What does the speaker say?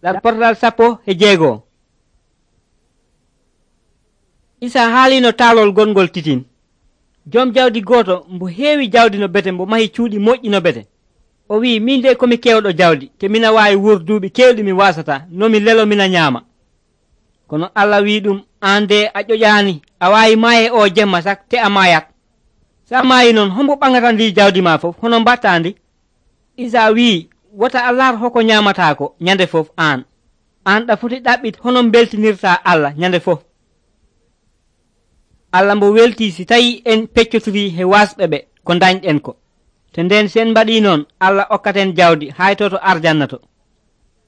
Ɗarportal 16. Isa haalino taalol gongol titin. Joom jawdi gooto mbo heewi jawdi no bete mbo mahi cuuɗi moƴƴi no bete. O wi'i, min de komi kewɗo jawdi, te mina waawi wurduuɓi kewɗi mi wasata, no mi lelo mina nyaama. Kono Allah wi'i ɗum, aan de a ƴoƴaani, a waawi maaye o jemma sak te a maayat. Sa maayi non, hombo ɓaŋata ndi jawdi ma fof, hono mbatta ndi? Isa wi'i, wota a laar hoko nyaamataako nyande fof aan. Aan ɗa foti ɗaɓɓit hono beltinirtaa Allah nyande fof. Allah mbo weltii si tawi en peccotirii he wasɓe ɓe ko dañɗen ko. To nden sen mbaɗii noon, Allah okkaten jawdi haytoto arjanna to.